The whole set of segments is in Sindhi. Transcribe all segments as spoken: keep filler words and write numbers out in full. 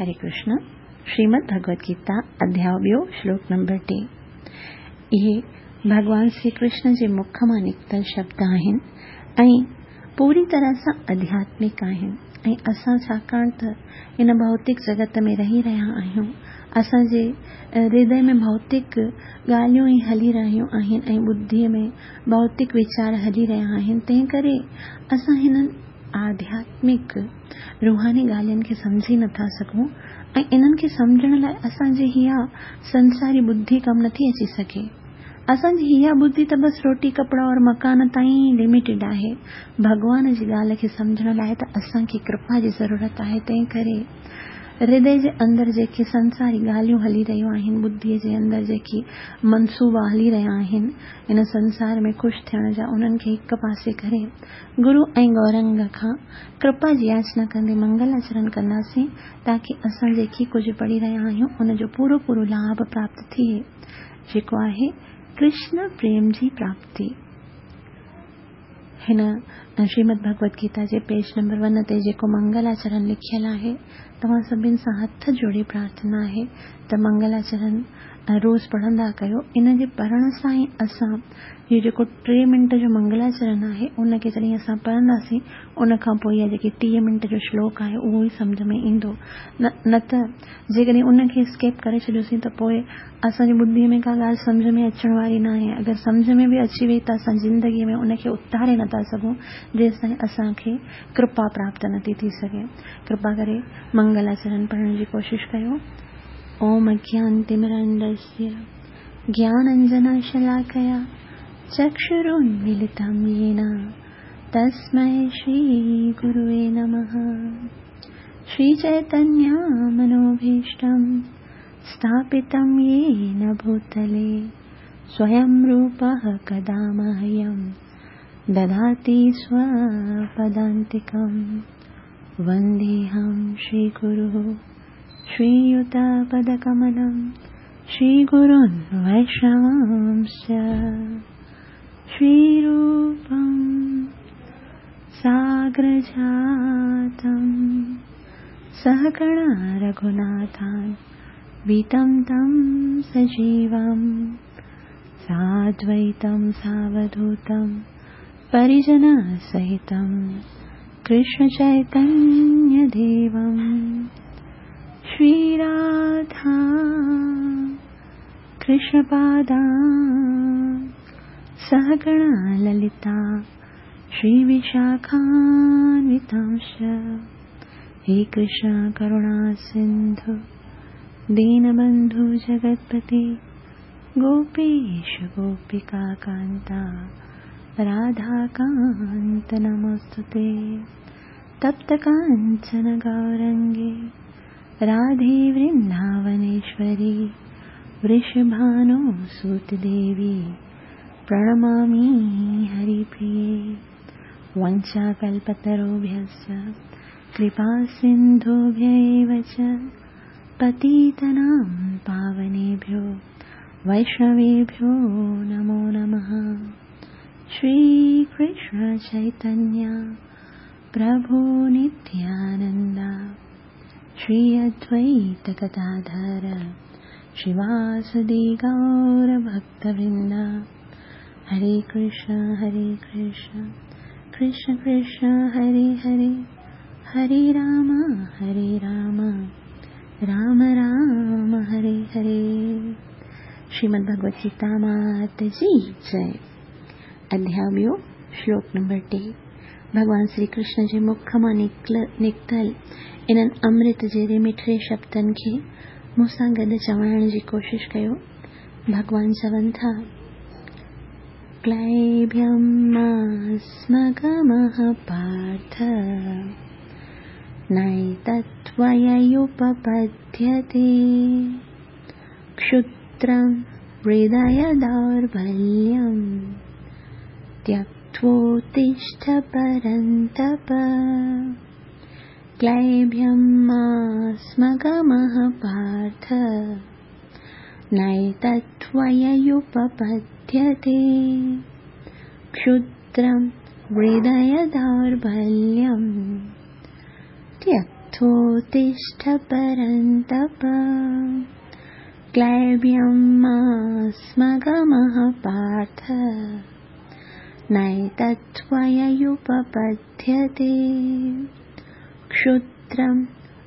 हरे कृष्ण। श्रीमद् भगवद गीता अध्याय ॿियो श्लोक नंबर टे। इहे भॻवान श्री कृष्ण जे मुख मां निकितल शब्द आहिनि ऐं पूरी तरह सां आध्यात्मिक आहिनि ऐं असां छाकाणि त इन भौतिक जगत में रही रहिया आहियूं, असांजे हृदय में भौतिक ॻाल्हियूं ई हली रहियूं आहिनि ऐं बुद्धीअ में भौतिक वीचार हली रहिया आहिनि, तंहिं करे असां हिननि आध्यात्मिक रूहानी ॻाल्हियुनि खे सम्झी नथा सघूं ऐं इन्हनि खे सम्झण लाइ असांजी इहा संसारी बुद्धि कमु नथी अची सघे। असांजी इहा बुद्धि त बसि रोटी कपिड़ा और मकान ताईं लिमिटेड आहे। भॻवान जी ॻाल्हि खे सम्झण लाइ त असांखे कृपा जी ज़रूरत आहे। तंहिं करे हृदय जे अंदरि जेके संसारी ॻाल्हियूं हली रहियूं आहिनि, बुद्धीअ जे अंदरि जेके मनसूबा हली रहिया आहिनि इन संसार में ख़ुशि थियण जा, उन्हनि खे हिकु पासे करे गुरू ऐं गौरंग खां कृपा जी याचना कंदे मंगलाचरण कंदासीं, ताकी असां जेके कुझु पढ़ी रहिया आहियूं उनजो पूरो पूरो लाभ प्राप्त थिए, जेको आहे कृष्ण प्रेम जी प्राप्ति। हिन श्रीमद् भगवद गीता जे पेज नंबर वन ते जेको मंगलाचरण लिखियल आहे, तव्हां सभिनि सां हथ जोड़े प्रार्थना आहे त मंगलाचरण रोज़ पढ़ंदा कयो। इन जे पढ़ण सां ई असां इहो जेको टे मिंट जो मंगलाचरण आहे उनखे जॾहिं असां पढ़ंदासीं, उन खां पोइ इहा जेकी टीह मिंट जो श्लोक आहे उहो ई सम्झ में ईंदो। न न त जेकॾहिं उनखे स्किप करे छॾियोसीं त पोइ असांजी बुद्धीअ में का ॻाल्हि सम्झ में अचण वारी न आहे। अगरि सम्झ में बि अची वई त असां ज़िंदगीअ में उनखे उतारे नथा सघूं जेसि ताईं असांखे कृपा प्राप्त नथी थी सघे। कृपा करे मंगलाचरण पढ़ण जी कोशिशि कयो। ओम अज्ञानतिमिरान्धस्य ज्ञानाञ्जनशलाकया चक्षुरुन्मीलितं येन तस्मै श्रीगुरुवे नमः। श्रीचैतन्यमनोभीष्टं स्थापितं येन भूतले स्वयं रूपः कदा मह्यं ददाति स्वपदान्तिकं। वन्देऽहं श्रीगुरुः श्रीयुतपदकमलं श्रीगुरुन् वैष्णवांश्च। श्रीरूपं साग्रजातं सहगणा रघुनाथान् वितं तं सजीवं साद्वैतं सावधूतं परिजनसहितं कृष्णचैतन्यदेवं। श्रीराधा कृष्णपादा सहगणा ललिता श्रीविशाखान्वितांश्च। हे कृष्ण करुणा सिन्धु दीनबन्धु जगत्पते गोपेश गोपिका कान्ता राधाकान्त नमोऽस्तुते। तप्त काञ्चन गौरङ्गे राधे वृन्दावनेश्वरी वृषभानुसुतदेवी प्रणमामि हरिप्रिये। वञ्चाकल्पतरुभ्यश्च कृपासिन्धुभ्य एव च पतितानां पावनेभ्यो वैष्णवेभ्यो नमो नमः। श्रीकृष्ण चैतन्य प्रभु नित्यानन्द श्री अद्वैत गदाधर श्रीवासदि गौरभक्तवृन्द। हरे कृष्ण हरे कृष्ण कृष्ण कृष्ण हरे हरे, हरे राम हरे राम राम राम हरे हरे। श्रीमद् भगवद गीता मात जी जय। अध्याय ॿियो श्लोक नंबर टे। भॻवान श्री कृष्ण जे मुख मां निकितल इन्हनि अमृत जहिड़े मिठड़े शब्दनि खे मूंसां गॾु चवाइण जी कोशिशि कयो। भॻवान चवनि था, क्लैब्यं मा स्म गमः पार्थ नैतत्त्वय्युपपद्यते क्षुद्रं हृदयदौर्बल्यं त्यक्त्वोत्तिष्ठ परन्तप। क्लैब्यं मा स्म गमः पार्थ नैतत्त्वय्युपपद्यते क्षुद्रं हृदयदौर्बल्यं त्यक्त्वोत्तिष्ठ त्यक्त्वोत्तिष्ठ परन्तप क्लैब्यं मा स्म गमः पार्थ नैतत्त्वय्युपपद्यते। क्षुद्रं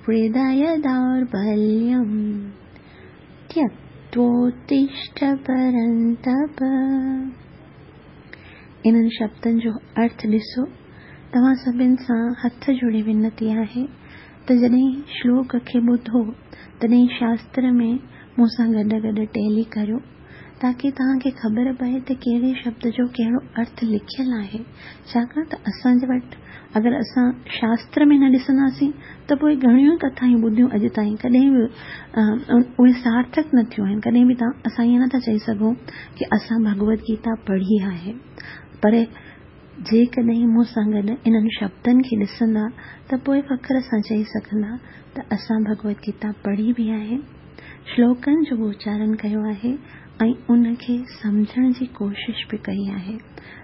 हृदयदौर्बल्यं त्यक्त्वोत्तिष्ठ परन्तप। इन्हनि शब्दनि जो अर्थ ॾिसो। तव्हां सभिनि सां हथ जोड़े विनती आहे त जॾहिं श्लोक खे ॿुधो तॾहिं शास्त्र में मूंसां गॾु गॾु टैली करियो, ताकी तव्हांखे ख़बर पए त कहिड़े शब्द जो कहिड़ो अर्थ लिखियल आहे। छाकाणि त असांजे वटि अगरि असां शास्त्र में न ॾिसंदासीं त पोइ घणियूं कथायूं ॿुधियूं अॼु ताईं कॾहिं बि उहे सार्थक न थियूं आहिनि। कॾहिं बि तव्हां असां ईअं नथा चई सघूं की असां भगवद गीता पढ़ी आहे, पर जेकॾहिं मूंसां गॾु इन्हनि शब्दनि खे ॾिसंदा त पोइ फ़ख्र सां चई सघंदा त असां भगवद गीता पढ़ी बि आहे, श्लोकनि जो बि उचारण कयो आहे ऐं उनखे सम्झण जी कोशिश बि कई आहे।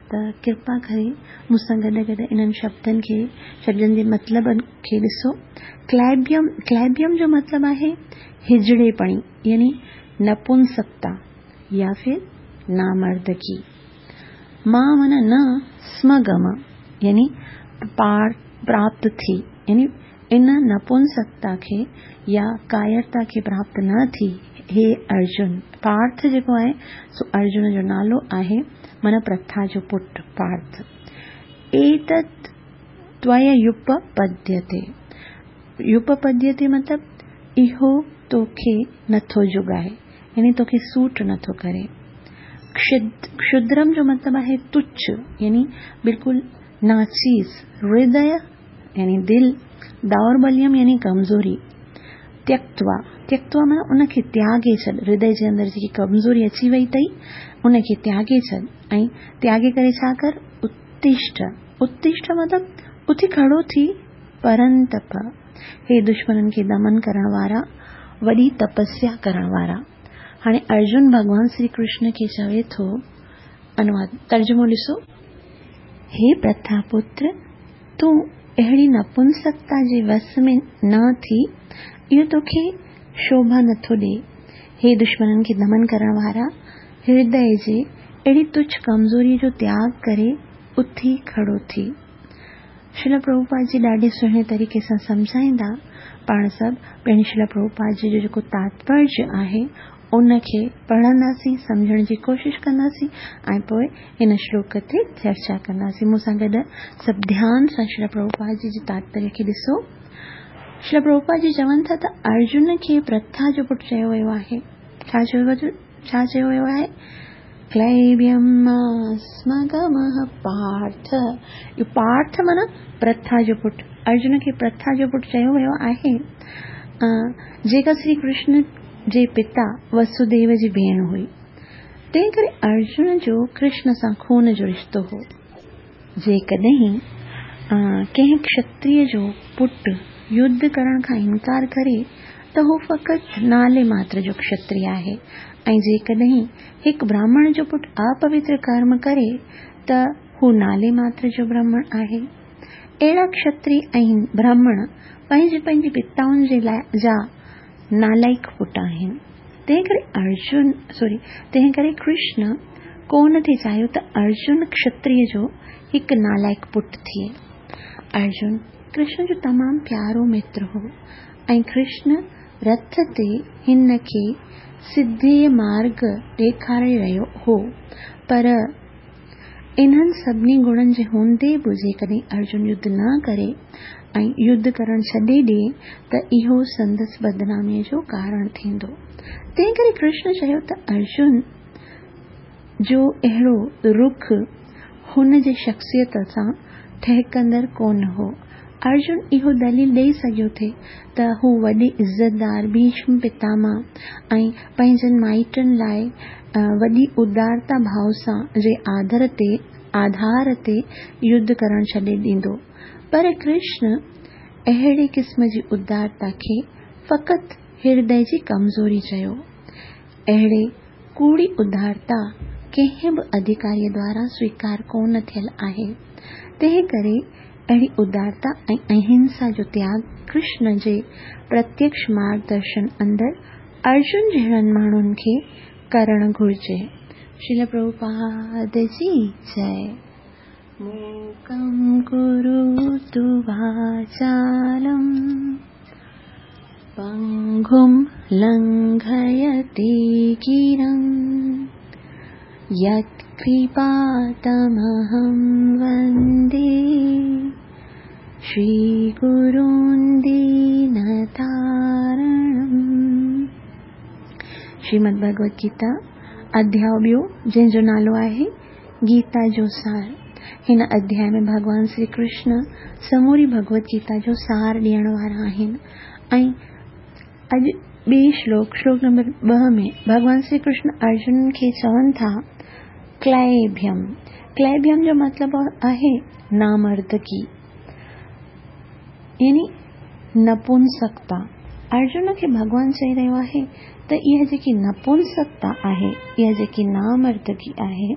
त कृपा करे मूंसां गॾु गॾु इन्हनि शब्दनि खे, शब्दनि जे मतिलबनि खे ॾिसो। क्लैब्यम, क्लैब्यम जो मतिलबु आहे हिजड़ेपणी, यानी नपुंसकता या फिर नामर्दगी। मां माना न, स्मगम यानी प्राप्त थी, यानी इन नपुंसकता खे या कायरता खे प्राप्त न थी। हे अर्जुन, पार्थ जेको आहे सो अर्जुन जो नालो आहे, माना प्रथा जो पुट पार्थ। एतत् त्वय्युपपद्यते, युपपद्यते मतलब इहो तोखे नथो जुगाए, यानी तोखे सूट नथो करे। क्षुद्रम जो मतलब आहे तुच्छ, यानी बिल्कुल नाचीज़। हृदय यानी दिल, दौर्बल्यम यानी कमज़ोरी। त्यक्त्वा, त्यक्त्वा माना उनखे त्यागे छॾ, हृदय जे अंदरि जेकी कमज़ोरी अची वई अथई उनखे त्यागे छॾ। ऐं त्यागे करे छा कर, उत्तिष्ठ, उत्तिष्ठ मतलब उथी खड़ो थी। परंतप, हे दुश्मननि खे दमन करण वारा, वॾी तपस्या करण वारा। हाणे अर्जुन भॻवान श्री कृष्ण खे चवे थो, अनुवाद तर्जुमो ॾिसो, हे प्रथा पुत्र, तूं अहिड़ी नपुंसकता जे वस में न थी, इहो तोखे शोभा नथो ॾिए। हे दुश्मननि खे दमन करण वारा, हृदय जे अहिड़ी तुच्छ कमज़ोरीअ जो त्याग करे उथी खड़ो थी। श्रील प्रभुपाद जी ॾाढे सुहिणे तरीक़े सां सम्झाईंदा। पाण सभु पहिरीं श्रील प्रभुपाद जी जो जेको तात्पर्य आहे उनखे पढ़ंदासीं, सम्झण जी कोशिश कंदासीं ऐं पोइ हिन श्लोक ते चर्चा कंदासीं। मूंसां गॾु सभु ध्यान सां श्रील प्रभुपाद जी जे तात्पर्य खे ॾिसो। श्रील प्रभुपाद जी चवनि था त अर्जुन खे प्रथा जो पुटु चयो वियो आहे। छा चयो वियो, छा चयो वियो आहे? क्लैब्यं मा स्मगमः पार्थ। इहो पार्थ माना प्रथा जो पुटु, अर्जुन खे प्रथा जो पुटु चयो वियो आहे, जेका श्री कृष्ण जे पिता वसुदेव जी भेण हुई। तंहिं करे अर्जुन जो कृष्ण सां खून जो रिश्तो हो। जेकॾहिं कंहिं क्षत्रिय जो पुटु युद्ध करण खां इनकार करे त हू फ़क़ति नाले मात्र जो क्षत्रिय आहे, ऐं जेकॾहिं हिकु ब्राह्मण जो पुटु अपवित्र कर्म करे त हू नाले मात्र जो ब्राह्मण आहे। अहिड़ा क्षत्रिय ऐं ब्राह्मण पंहिंजे पंहिंजे पिताउनि जे लाइ जा नालाइक़ पुट आहिनि। तंहिं करे अर्जुन सॉरी तंहिं करे कृष्ण कोन थी चाहियो त अर्जुन क्षत्रिय जो हिकु नालाइक़ पुट थिए। अर्जुन कृष्ण जो तमामु प्यारो मित्र हो ऐं कृष्ण रथ ते हिन खे सिधे मार्ग ॾेखारे रहियो हो, पर इन्हनि सभिनी गुणनि जे हूंदे बि जेकॾहिं अर्जुन युद्ध न करे ऐं युद्ध करण छॾे ॾिए त इहो संदसि बदनामीअ जो कारण थींदो। तंहिं करे कृष्ण चयो त अर्जुन जो अहिड़ो रुख हुन जे शख़्सियत सां ठहकंदड़ कोन हो। अर्जुन इहो दलील ॾेई सघियो थे त हू वॾे इज़तदार भीष्म पितामह ऐं पंहिंजनि माइटनि लाइ वॾी उदारता भाव सां जे आदर ते आधार ते युद्ध करण छॾे ॾींदो, पर कृष्ण अहिड़े क़िस्म जी उदारता खे फ़क़ति हृदय जी कमज़ोरी चयो। अहिड़ी कूड़ी उदारता कंहिं बि अधिकारीअ द्वारा स्वीकार कोन थियल आहे। तंहिं करे अहिड़ी उदारता ऐं अहिंसा जो त्याग कृष्ण जे प्रत्यक्ष मार्गदर्शन अंदरि अर्जुन जहिड़नि माण्हुनि खे करणु घुरिजे। श्रील प्रभुपाद जी जय। मूकं करोतु वाचालं पङ्गुं लङ्घयते गिरिं यत्कृपातमहं वन्दे श्रीगुरुं दीनतारणम्। श्रीमद् भगवद गीता अध्याय ॿियो जंहिंजो नालो आहे गीता जो सार। हिन अध्याय में भॻवान श्री कृष्ण समूरी भगवद गीता जो सार ॾियण वारा आहिनि ऐं अॼु ॿिए श्लोक श्लोक नंबर ॿ में भॻवान श्री कृष्ण अर्जुन खे चवनि था क्लैभ्यम। क्लैभ्यम जो मतिलबु आहे नामर्दगी यानी नपुंसकता। अर्जुन खे भॻवान चई रहियो आहे त इहा जेकी नपुंसकता आहे, इहा जेकी नामर्दगी आहे,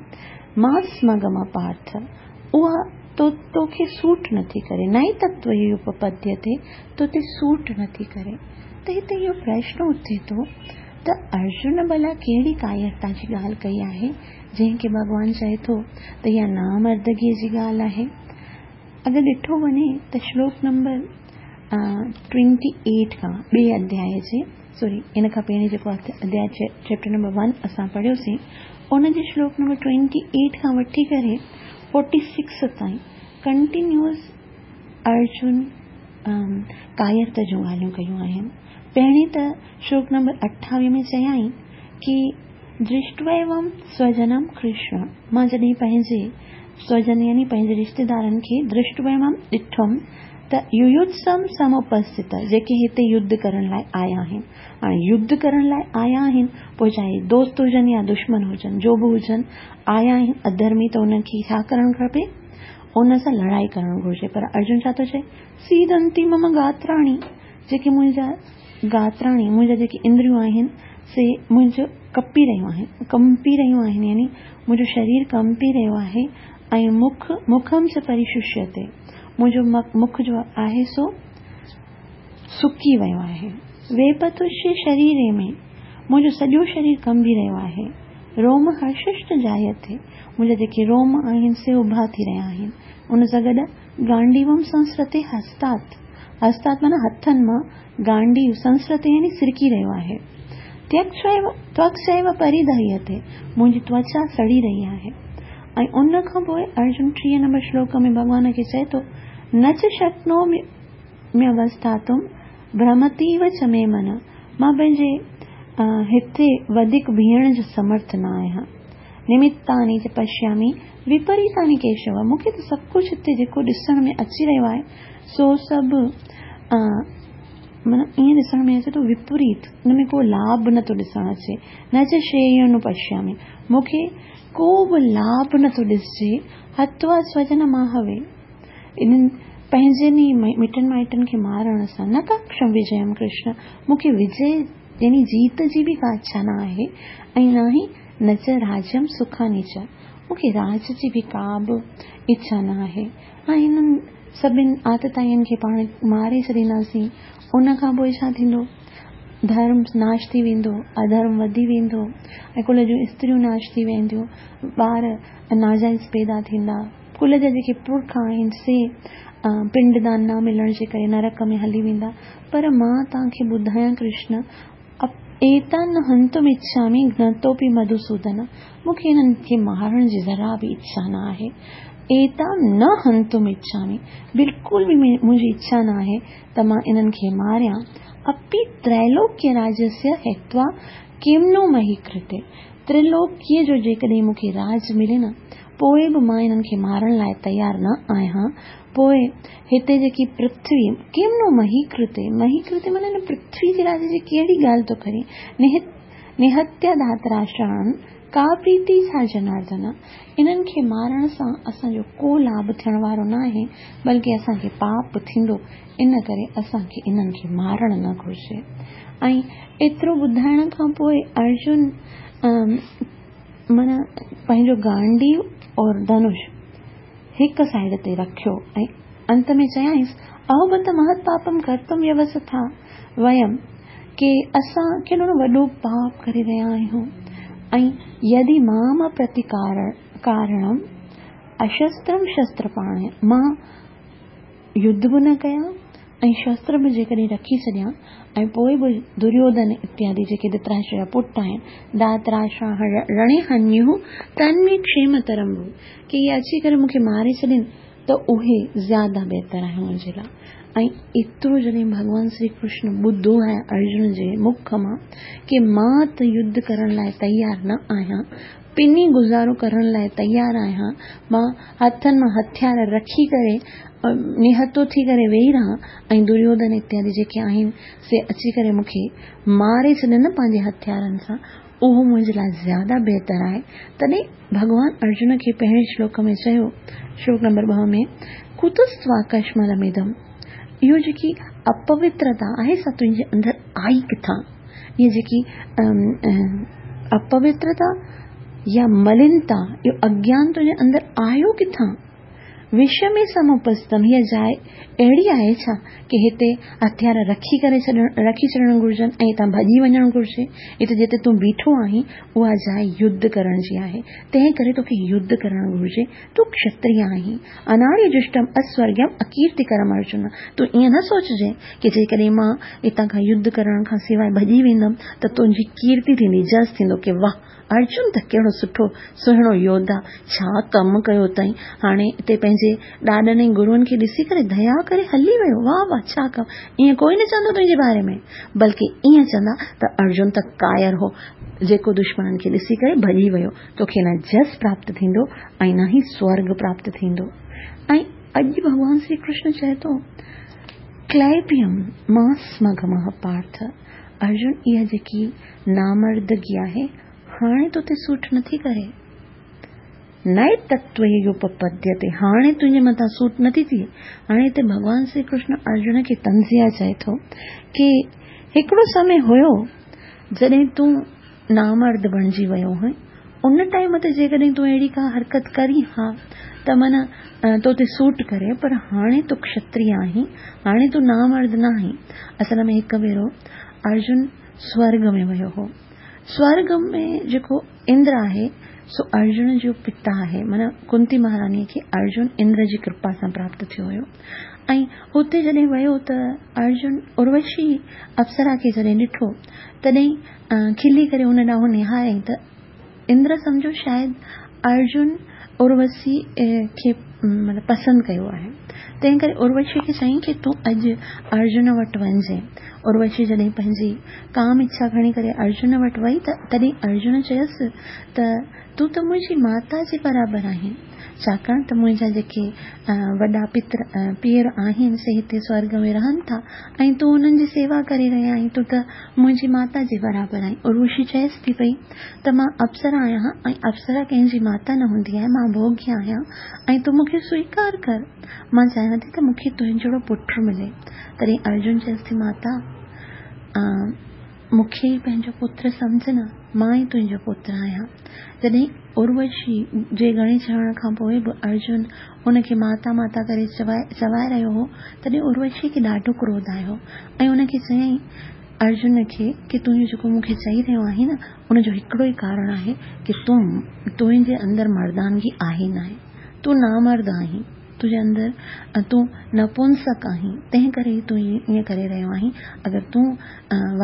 मास्मगम पार्थ, उहा तो तोखे सूट नथी करे, न ई तत्व उपपद्यते, तो ते सूट नथी करे। त हिते इहो प्रश्न उथे थो त अर्जुन भला कहिड़ी कायरता जी ॻाल्हि कई आहे जंहिंखे भॻवान चए थो त इहा नामर्दगीअ जी ॻाल्हि आहे। अगरि ॾिठो वञे त श्लोक नंबर ट्वेंटी एट खां ॿिए अध्याय जे सॉरी इन खां पहिरीं जेको अध्याय चैप्टर नंबर वन असां पढ़ियोसीं उनजे श्लोक नंबर ट्वेंटी एट खां वठी करे फोर्टी सिक्स ताईं कंटिन्यूअस अर्जुन कायरत जूं ॻाल्हियूं कयूं आहिनि। पहिरीं त श्लोक नंबर अठावीह में चयाईं की दृष्ट्वैवं स्वजनं कृष्ण, मां जॾहिं पंहिंजे स्वजन यानी पंहिंजे रिश्तेदारनि खे दृष्ट्वैवं ॾिठुमि त युयुत्सम समुपस्थित, जेके हिते युद्ध करण लाइ आया आहिनि। हाणे युद्ध करण लाइ आया आहिनि पोइ चाहे दोस्त हुजनि या दुश्मन हुजनि, जो बि हुजनि, आया आहिनि अधर्मी त उन्हनि खे छा करणु खपे, उन सां लड़ाई करणु घुरिजे। पर अर्जुन छा थो चए, सीदंती मम गात्राणी, जेके मुंहिंजा गात्राणी मुंहिंजा जेके इंद्रियूं आहिनि से मुंहिंजो कपी रहियूं आहिनि, कंपी रहियूं आहिनि, यानी मुंहिंजो शरीर कंपी रहियो आहे ऐं मुख मुखम च परिशुष्यते, मुंहिंजो मुख जो आहे सो सुकी वियो आहे। वेपतुष्य शरीरे में, मुंहिंजो सॼो शरीर कंबी रहियो आहे। रोम हर्षश्च जायते, मुंहिंजा जेके रोम आहिनि से उभा थी रहिया आहिनि। उन सां गॾु गांडीवम संस्रते हस्तात्, हस्तात् माना हथनि मां गांडीव संस्रते यानी सिरकी रहियो आहे। त्वक्सैव परिदह्यते, मुंहिंजी त्वचा सड़ी रही आहे। ऐं उन खां पोइ अर्जुन टीह नंबर श्लोक में भॻवान खे चए थो, न च शक्नोम्यवस्थातुं भ्रमतीव च मे मन, मां पंहिंजे हिते वधीक बीहण जो समर्थ न आहियां। निमित्तानि च पश्यामि विपरीतानि केशव, मूंखे त सभु कुझु हिते जेको ॾिसण में अची रहियो आहे सो सभु माना ईअं ॾिसण में अचे थो विपरीत, हुन में को लाभ नथो ॾिसण अचे। न च श्रेयो पश्यामि, मूंखे को बि लाभ नथो ॾिसजे। हत्वा स्वजन माहवे, इन्हनि पंहिंजनि ई मिटनि माइटनि खे मारण सां न काक्षम विजयम कृष्ण, मूंखे विजय यानी जीत जी बि का इच्छा न आहे ऐं न ई न च राज्यम सुखानि च, मूंखे राज जी बि का बि इच्छा न आहे। ऐं हिननि सभिनि आतताइनि खे पाण मारे छॾींदासीं, उन खां पोइ छा थींदो, धर्म नाश थी वेंदो, अधर्म वधी वेंदो ऐं कुल जूं स्त्रियूं नाश थी वेंदियूं, ॿार नाजाइज़ पैदा थींदा, कुल जा जेके पुरख आहिनि से पिंडदान न मिलण जे करे नरक में हली वेंदा। पर मां तव्हांखे ॿुधायां कृष्ण, एतान हंतुम इच्छामि घ्नतोपि मधुसूदन, मूंखे हिननि खे मारण जी ज़रा बि इच्छा न आहे। एतान न हंतुम इच्छामि, बिल्कुलु बि मुंहिंजी इच्छा न आहे त मां इन्हनि खे मारियां। अपि त्रैलोक्य राज्यस्य हित्वा किं नो मही कृते, त्रिलोकीय जो जेकॾहिं मूंखे राज मिले न पोइ बि मां इन्हनि खे मारण लाइ तयारु न आहियां। पोइ हिते जेकी पृथ्वी किं नो मही कृते, मही कृते माना हिन पृथ्वी जे राज जी कहिड़ी ॻाल्हि थो करे, निहत्य धातराष्ट्राण का प्रीति छा जनार्दन, इन्हनि खे मारण सां असांजो को लाभ थियण वारो न आहे, बल्कि असांखे पाप थींदो, इन करे असांखे इन्हनि खे मारण न घुरिजे। ऐं एतिरो ॿुधाइण खां पोइ अर्जुन माना पंहिंजो गांडीव और धनुष हिकु साइड ते रखियो ऐं انت ۾ چيائينس، اهو بت مهت پاپم ڪرتم ويوسٿا ويم، ڪي اسان ڪيڏو نه وڏو پاپ ڪري رهيا آهيون ۽ يدي مام پرتيڪارڻم اشسترم شستر پاڻي، مان يڌ به نه ڪيان ۽ شستر به جيڪڏهن رکي ڇڏيان ۽ پوءِ به دريوڌن اتيادي جيڪي ڌرتراشٽر جا پٽ آهن، ڌارتراشٽر رڻي هنيو تن ۾ ڪشيمترم ڀو، ڪي اهي اچي ڪري مون کي ماري ڇڏين ته اهي زياده بهتر آهي منهنجي لاءِ. ۽ ايترو جڏهن ڀڳوان شري ڪرشن ٻڌو آهي ارجن جي مک مان ڪي مان ته يڌ ڪرڻ لاءِ تيار نه آهيان، پني گذارو ڪرڻ لاءِ تيار آهيان، مان هٿن مان هٿيار رکي ڪري نهتو ٿي ڪري ويهي رهان ۽ دريوڌن اتيادي جيڪي آهن سي اچي ڪري مون کي ماري ڇڏن پنهنجي هٿيارن سان، اهو منهنجي لاءِ زياده بهتر آهي. تڏهن ڀڳوان ارجن کي پهرين شلوڪ ۾ چيو، شلوڪ نمبر ٻه ۾، ڪتستواڪشملمدم، اهو جيڪي اپوترتا آهي سا تنهنجي اندر آئي ڪٿان؟ اها جيڪي اپوترتا يا ملنتا، اهو اگيان تنهنجي اندر آيو ڪٿان؟ وشمي سمپستم، هيءَ جاءِ اهڙي آهي ڇا ڪي هتي هٿيار رکي ڪري ڇڏڻ، رکي ڇڏڻ گهرجن ۽ هتان ڀڄي وڃڻ گهرجي؟ هتي جتي تون بيٺو آهين اها جاءِ يڌ ڪرڻ جي آهي، تنهن ڪري توکي يڌ ڪرڻ گهرجي. تون ڪشتريه آهين. اناريه جشٽم اسورگيم اڪيرتيڪرم ارجن، تون ائين نه سوچجي ڪي جيڪڏهن مان هتان کان يڌ ڪرڻ کان سواءِ ڀڄي ويندم ته تنهنجي ڪيرتي ٿيندي، جس ٿيندو ڪي واهه ارجن ته ڪهڙو سٺو سهڻو يوڌا، ڇا ڪم ڪيو اٿئي، هاڻي هتي پنهنجي ڏاڏن ۽ گروئن کي ڏسي ڪري ديا ڪري هلي ويو، واهه واهه ڇا ڪم. ائين ڪوئي نه چوندو تنهنجي باري ۾، بلڪه ائين چوندا ته ارجن ته ڪائر هو جيڪو دشمنن کي ڏسي ڪري ڀڄي ويو. توکي نه جس پراپت ٿيندو ۽ نه ئي سورگ پراپت ٿيندو. ۽ اڄ ڀڳوان شري ڪرشن چئي ٿو، ڪلائبيم ماسمگمه پارٿ، ارجن اها جيڪي نامردگي آهي هاڻي تو تي سوٽ نٿي ڪري، نئي تتوپپديتي، هاڻي تنهنجي مٿان سوٽ نٿي ٿئي. هاڻي هتي ڀڳوان شري ڪرشن ارجن کي تنزيا چئي ٿو ڪي هڪڙو سمي هيو جڏهن تون نامرد بڻجي ويو هئين، ان ٽائيم تي جيڪڏهن تون اهڙي ڪا حرڪت ڪري ها ته معنيٰ تو تي سوٽ ڪري، پر هاڻي تون ڪشتريه آهين، هاڻي تون نامرد نه آهين. اصل ۾ هڪ ڀيرو ارجن سورگ ۾ ويو هو. سورگ ۾ جيڪو اندر آهي سو ارجن جو پتا آهي، معنيٰ ڪنتي مهاراڻيءَ کي ارجن اندر جي ڪرپا سان پراپت ٿيو هيو. ۽ هتي جڏهن ويو ته ارجن اروشي اپسرا کي جڏهن ڏٺو تڏهن کلي ڪري هن ڏانهن نهاريائين ته اندر سمجهو شايد ارجن اروشي کي مطلب پسند ڪيو آهي، تنهن ڪري اروشي کي چيائين ڪه تون اڄ ارجن وٽ وڃجي. اروشي جڏهن پنهنجي ڪام اڇا کڻي ڪري ارجن وٽ وئي ته تڏهن ارجن چيس ته تون ته منهنجي ماتا جي برابر آهين، ڇاڪاڻ ته منهنجا جيڪي وڏا پتر پيئر آهن سي هتي سورگ ۾ رهن ٿا ۽ تون انهن جي سيوا ڪري رهيا آهين، تون ته منهنجي ماتا جي برابر آهين. اروشي چيس ٿي پئي ته مان اپسرا آهيان ۽ اپسرا ڪنهن جي ماتا نه هوندي آهي، مان ڀوڳيه آهيان ۽ تون مون کي سويڪار ڪر، مان چاهيان ٿي ته مون کي تنهنجو جهڙو پٽ ملي. تڏهن ارجن چيس ٿي، ماتا مون کي ئي پنهنجو پتر سمجهه نه، مان ئي تنهنجو پتر آهيان. جڏهن اروشي جي گهڻي چوڻ کان پوءِ به ارجن هن کي ماتا ماتا ڪري چوائي رهيو هو، تڏهن اروشي کي ڏاڍو ڪروڌ آيو ۽ هن کي چيائين ارجن کي ڪه تون اهو جيڪو مون کي چئي رهيو آهين نه، ان جو هڪڙو ئي ڪارڻ آهي ڪه تون تنهنجي اندر مردانگي آهي نه آهي، تون نامرد آهين، تنهنجي اندر تون نپنسڪ آهين، تنهن ڪري ئي تون ائين ڪري رهيو آهين. اگر تون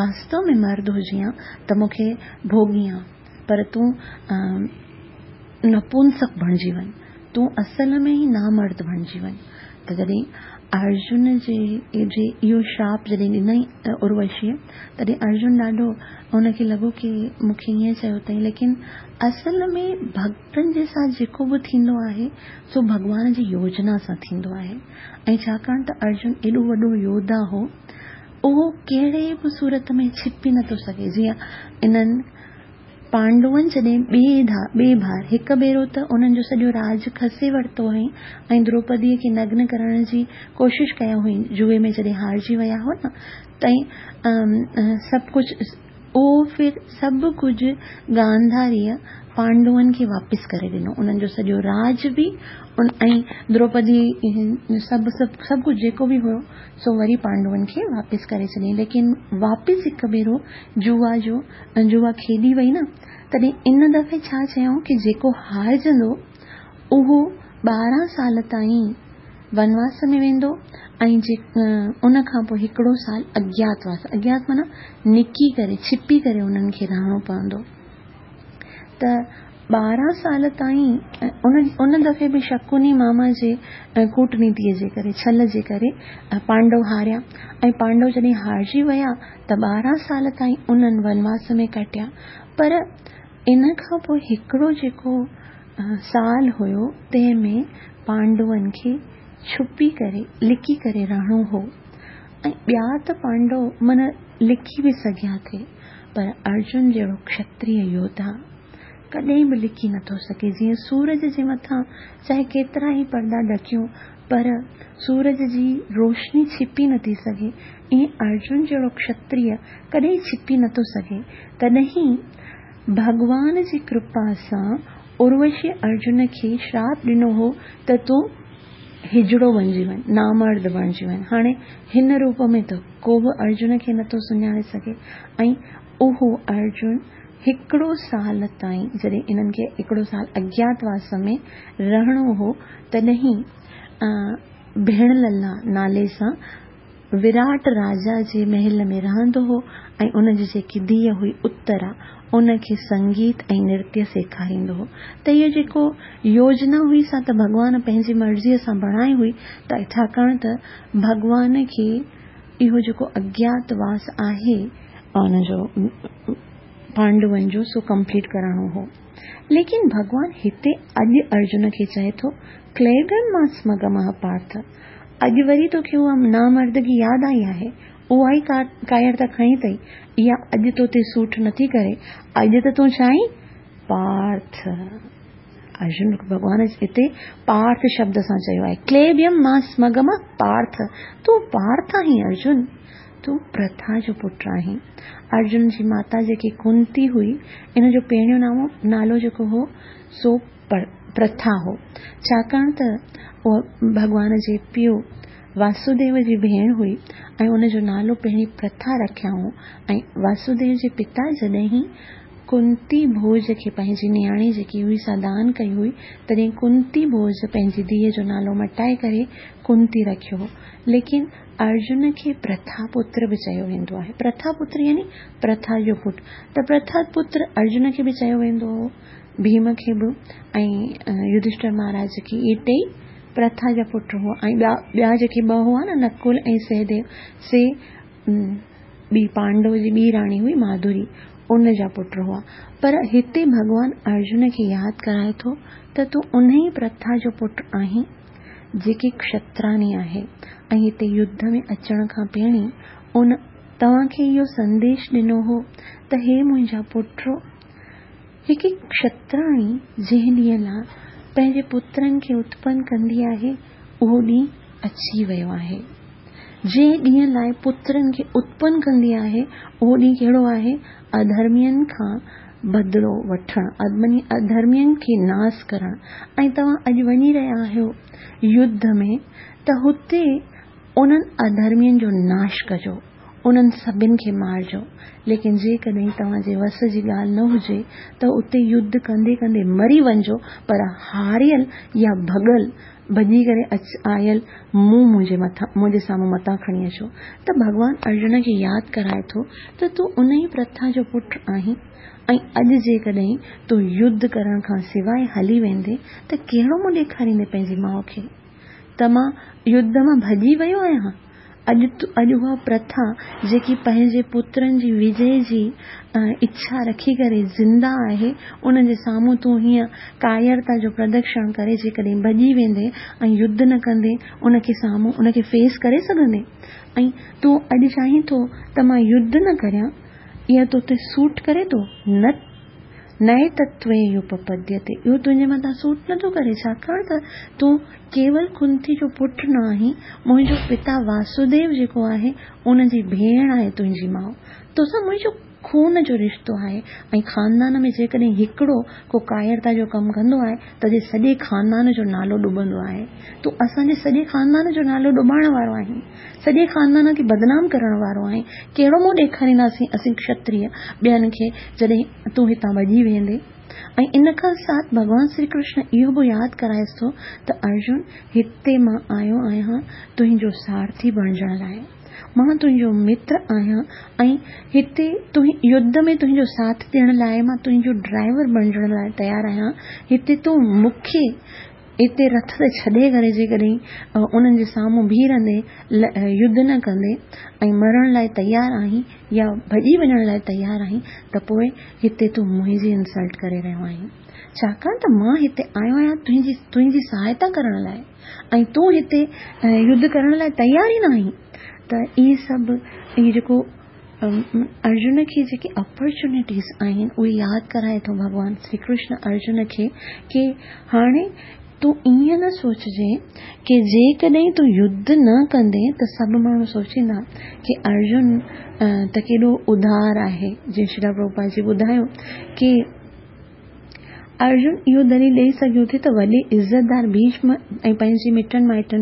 واستو ۾ مرد هجين ها ته مون کي ڀوڳين ها، پر تون نپنسڪ بڻجي وڃ، تون اصل ۾ ئي نامرد بڻجي وڃ. ته جڏهن ارجن جي جي اهو شراپ جڏهن ڏنئي اروشيءَ، تڏهن ارجن ڏاڍو هن کي لڳو ڪه مون کي ائين چيو اٿئي، ليڪن اصل ۾ ڀڳتن جي ساٿ جيڪو به ٿيندو آهي سو ڀڳوان جي يوجنا سان ٿيندو آهي. ۽ ڇاڪاڻ ته ارجن ايڏو وڏو يوڌا هو، اهو ڪهڙي به صورت ۾ ڇپي نٿو سگهي. جيئن انهن پانڊون جڏهن ٻئي ٻئي بار هڪ ڀيرو ته انهن جو سڄو راج کسي ورتو هئائين ۽ دروپديءَ کي نگن ڪرڻ جي ڪوشش ڪيا هئائين، جوئي ۾ جڏهن هارجي ويا هئا نه، تئين سڀ ڪجهه اهو ڦر سڀ ڪجهه گانڌاريء پانڊون کي واپس ڪري ڏنو. انهن جو سڄو راج به ۽ دروپدي سڀ سڀ سڀ ڪجهه جيڪو به هيو سو وري پانڊون کي واپس ڪري ڇڏيائين. ليڪن واپس هڪ ڀيرو جوا جو جوا کيڏي وئي نه، تڏهن ان دفعي ڇا چيائون ڪه جيڪو هارجندو اهو ٻارهن سال تائين ونواس ۾ ويندو ۽ ان کان پوءِ هڪڙو سال اگياتواس، اگيات معنيٰ نڪي ڪري ڇپي ڪري انهن کي رهڻو پوندو. ته ٻارهن سال تائين ان ان دفعي به شڪني ماما جي ڪوٽنيتيءَ جي ڪري، ڇل جي ڪري پانڊو هاريا ۽ پانڊو جڏهن هارجي ويا ته ٻارهن سال تائين انهن ونواس ۾ ڪٽيا. پر ان کان پوءِ هڪڙو جيڪو سال هيو تنهن ۾ پانڊون کي ڇپي ڪري لڪي ڪري رهڻو هو ۽ ٻيا ته پانڊو معنيٰ لڪي به سگهيا ٿي، پر ارجن جهڙو ڪشتريه يوڌا ڪڏهن به لڪي نٿو سگهي. جيئن سورج جي مٿان چاهي ڪيترا ئي پردا ڍڪيون پر سورج جي روشني ڇپي نٿي سگهي، ائين ارجن جهڙو ڪشتريه ڪڏهن ڇپي نٿو سگهي. تڏهن ڀڳوان جي ڪرپا سان اروشي ارجن کي شراپ ڏنو هو ته تون هجڙو بڻجي وڃ، نامرد بڻجي وڃ. هاڻي هن روپ ۾ ته ڪو به ارجن کي نٿو سڃاڻي سگهي. ۽ اهو ارجن هڪڙو سال تائين، جڏهن انهن کي هڪڙو سال اگياتواس ۾ رهڻو هو، تڏهن ڀيڻ للا نالي سان وراٽ راجا جي محل ۾ رهندو هو ۽ ان جي جيڪي ڌيءَ هئي اترا، ان کي سنگيت ۽ نرتيه سيکاريندو هو. ته اهو جيڪو يوجنا هئي سا ته ڀڳوان پنهنجي مرضيءَ سان بڻائي هئي، ته ڇاڪاڻ ته ڀڳوان کي اهو جيڪو اگياتواس آهي ان جو پانڊون جو سو ڪمپليٽ ڪرڻو هو. ليڪن ڀڳوان هتي اڄ ارجن کي چئي ٿو ڪليبيم مان سمگمه پارٿ، اڄ وري توکي اها نامردگي ياد آئي آهي، اها ئي ڪائرتا کڻي اٿئي، اها اڄ تو تي سوٽ نٿي ڪري، اڄ ته تون چاهين پارٿ. ارجن ڀڳوان هتي پارٿ شبد سان چيو آهي، ڪليبيم مان سمگمه پارٿ، تون پارٿ آهين ارجن، تون پرٿا جو پٽ آهين. ارجن جي ماتا جيڪي ڪنتي هئي، ان جو پهريون نامو نالو جيڪو هو سو پرٿا هو، ڇاڪاڻ ته اها ڀڳوان جي پيءُ واسوديو جي ڀيڻ هئي ۽ ان جو نالو پهرين پرٿا رکيائون. ۽ واسوديو جي پتا جڏهن ڪنتي ڀوج کي پنهنجي نياڻي جيڪي هئي سا دان ڪئي هئي، تڏهن ڪنتي ڀوج پنهنجي ڌيءَ جو نالو مٽائي ڪري ڪنتي رکيو هو. ليڪن ارجن کي پرٿا پتر به چيو ويندو آهي. پرٿا پتر يعني پرٿا جو پٽ، ته پرٿا پتر ارجن کي به چيو ويندو هو، ڀيم کي به ۽ يڌشٺر مهاراج کي. اهي ٽئي پرٿا جا پٽ هئا. ۽ ٻيا ٻيا جيڪي ٻه هئا نه، نڪل ۽ سهديو، سي ٻي پانڊو جي ٻي راڻي هئي ماڌوري، ان جا پٽ هئا. پر هتي ڀڳوان ارجن کي ياد ڪرائي ٿو ته تون ان ئي پرٿا جو پٽ آهين جيڪي ڪشتراني آهي، ۽ هتي يڌ ۾ اچڻ کان پهرين ان توهان کي اهو سنديش ڏنو هو ته هي منهنجا پٽ، هڪ ڪشتراڻي جنهن ڏينهن لاءِ پنهنجي پترن کي اتپن ڪندي آهي اهو ڏينهن اچي ويو آهي. جنهن ڏينهن لاءِ پترن کي اتپن ڪندي آهي اهو ڏينهن ڪهڙو آهي؟ اڌرمين کان بدلو وٺڻ، اڌرمين کي ناس ڪرڻ. ۽ توهان اڄ وڃي رهيا آهيو يڌ ۾ ته هتي انهن اڌرمين جو ناش ڪجو، انهن سڀني کي مارجو. ليڪن جيڪڏهن توهان جي وس جي ڳالهه نه هجي ته اتي يڌ ڪندي ڪندي مري وڃجو، پر هاريل يا ڀڳل ڀڄي ڪري آيل منهن منهنجي مٿان منهنجي سامهون متان کڻي اچو. ته ڀڳوان ارجن کي ياد ڪرائي ٿو ته تون ان ئي پرٿا جو پٽ آهين ۽ اڄ جيڪڏهن تون يڌ ڪرڻ کان سواءِ هلي ويندي ته ڪهڙو منهن ڏيکاريندي پنهنجي ماءُ کي ته مان يڌ مان ڀڄي ويو آهيان؟ اڄ اڄ اها پرٿا جيڪي پنهنجي پترن جي وجي جي اڇا رکي ڪري زنده آهي، ان جي سامهون تون هيئن ڪائرتا جو پردرشن ڪري جيڪڏهن ڀڄي ويندي ۽ يڌ نه ڪندي، ان کي سامهون ان کي فيس ڪري سگهندي؟ ۽ تون اڄ چاهين ٿو ته مان يڌ نه ڪريان، اها تو تي سوٽ ڪري ٿو؟ نه نئي تتوي اهو پپديتي، اهو تنهنجي مٿان سوٽ نٿو ڪري، ڇاڪاڻ ته تون ڪيول ڪنتي جو پٽ نه آهين، منهنجو پتا واسوديو جيڪو آهي ان جي ڀيڻ آهي تنهنجي ماءُ، توسان منهنجو خون جو رشتو آهي. ۽ خاندان ۾ جيڪڏهن هڪڙو ڪو ڪائرتا جو ڪم ڪندو آهي ته سڄي خاندان جو نالو ڏبندو آهي. تون اسان جي سڄي خاندان جو نالو ڏبائڻ وارو آهين، سڄي خاندان کي بدنام ڪرڻ وارو آهين. ڪهڙو منهن ڏيکارينداسين اسين ڪشتريه ٻين کي جڏهن تون هتان ڀڄي ويندي؟ ۽ ان کان ساٿ ڀڳوان شري ڪرشن اهو به ياد ڪرائيس ٿو ته ارجن، هتي مان آيو آهيان تنهنجو سارٿي بڻجڻ لاءِ، مان تنهنجو متر آهيان ۽ هتي تون يڌ ۾ تنهنجو ساٿ ڏيڻ لاءِ مان تنهنجو ڊرائيور بڻجڻ لاءِ تيار آهيان. هتي تون مون کي هتي رٿ تي ڇڏي ڪري جيڪڏهن انهن جي سامهون بيهه رهندي، يڌ نه ڪندي ۽ مرڻ لاءِ تيار آهين يا ڀڄي وڃڻ لاءِ تيار آهين ته پوءِ هتي تون منهنجي انسلٽ ڪري رهيو آهين، ڇاڪاڻ ته مان هتي آيو آهيان تنهنجي تنهنجي سهائتا ڪرڻ لاءِ ۽ تون هتي يڌ ڪرڻ لاءِ تيار ئي نه آهين. ته اهي سڀ اهي جيڪو ارجن کي جيڪي اپرچونٽيز آهن اهي ياد ڪرائي ٿو ڀڳوان شري ڪرشن ارجن کي ڪه هاڻي تون ائين نه سوچجي ڪه جيڪڏهن تون يڌ نه ڪندي ته سڀ ماڻهو سوچيندا ڪه ارجن ته ڪيڏو ادار آهي. جيئن شري پرڀوپاد جي ٻڌايو ڪه ارجن اهو دليل ڏيئي سگهيو ٿي ته وڏي عزتدار ڀيشم ۽ پنهنجي مٽن مائٽن